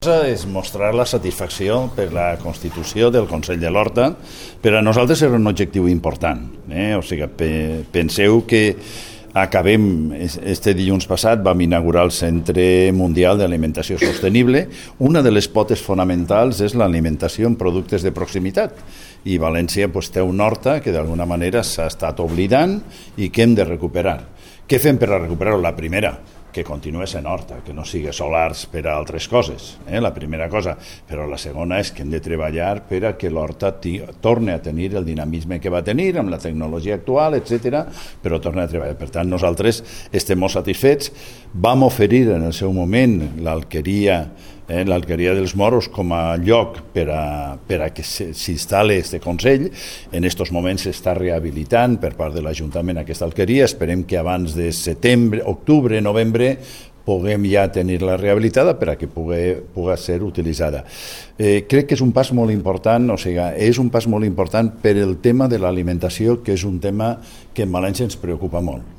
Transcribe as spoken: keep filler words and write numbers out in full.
És mostrar la satisfacció per la constitució del Consell de l'Horta. Per a nosaltres era un objectiu important. Eh? O sigui, pe penseu que acabem, este dilluns passat vam inaugurar el Centre Mundial d'Alimentació Sostenible. Una de les potes fonamentals és l'alimentació en productes de proximitat. I València pues, té una horta que d'alguna manera s'ha estat oblidant i que hem de recuperar. Què fem per a recuperar-ho? La primera, que continuï sent horta, que no sigui solars per a altres coses, eh? La primera cosa. Però la segona és que hem de treballar per a que l'horta torni a tenir el dinamisme que va tenir amb la tecnologia actual, etcètera, però torni a treballar. Per tant, nosaltres estem molt satisfets. Vam oferir en el seu moment l'Alqueria eh, l'Alqueria dels Moros com a lloc per a, per a que s'instal·li este Consell. En aquests moments s'està rehabilitant per part de l'Ajuntament aquesta alqueria. Esperem que abans de setembre, octubre, novembre puguem ja tenir-la rehabilitada per a que pugui, pugui ser utilitzada. Eh, crec que és un pas molt important, o sigui, és un pas molt important per el tema de l'alimentació, que és un tema que en València ens preocupa molt.